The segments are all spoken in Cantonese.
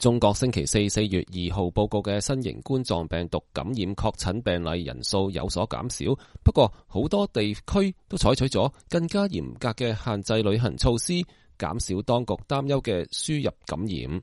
中國星期四4月2號報告嘅新型冠狀病毒感染確診病例人數有所減少，不過好多地區都採取咗更加嚴格嘅限制旅行措施，減少當局擔憂嘅輸入感染。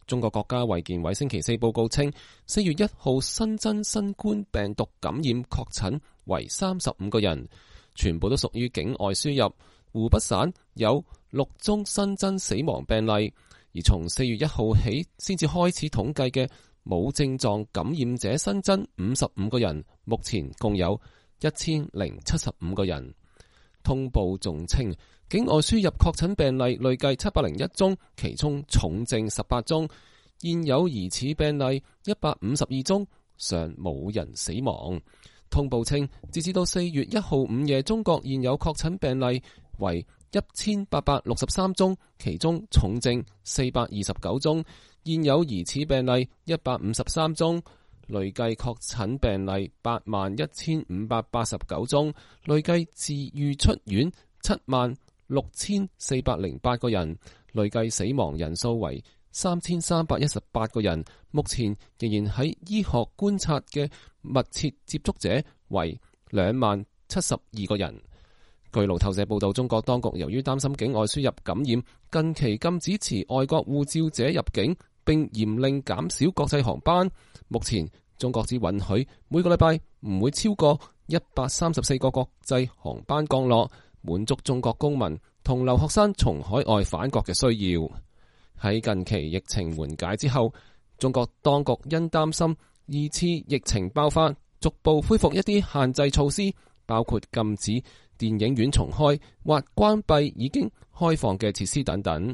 中國國家衛健委星期四報告稱，4月1號新增新冠病毒感染確診為35個人，全部都屬於境外輸入。湖北省有6宗新增死亡病例。而從4月1號起先至開始統計嘅無症狀感染者新增55個人，目前共有1075個人。通報仲稱，境外輸入確診病例累計701宗，其中重症18宗，現有疑似病例152宗，尚冇人死亡。通報稱，截至到4月1號午夜，中國現有確診病例為1863宗，其中重症429宗，現有疑似病例153宗，累計確診病例81589宗，累計治愈出院76408個人，累計死亡人數為3318個人，目前仍然喺醫學觀察嘅密切接觸者為20072個人。據路透社報道，中國當局由於擔心境外輸入感染，近期禁止持外國護照者入境，並嚴令減少國際航班。目前中國只允許每個禮拜唔會超過134個國際航班降落，滿足中國公民同留學生從海外返國嘅需要。喺近期疫情緩解之後，中國當局因擔心二次疫情爆發，逐步恢復一啲限制措施，包括禁止電影院重開或關閉已經開放嘅設施等等。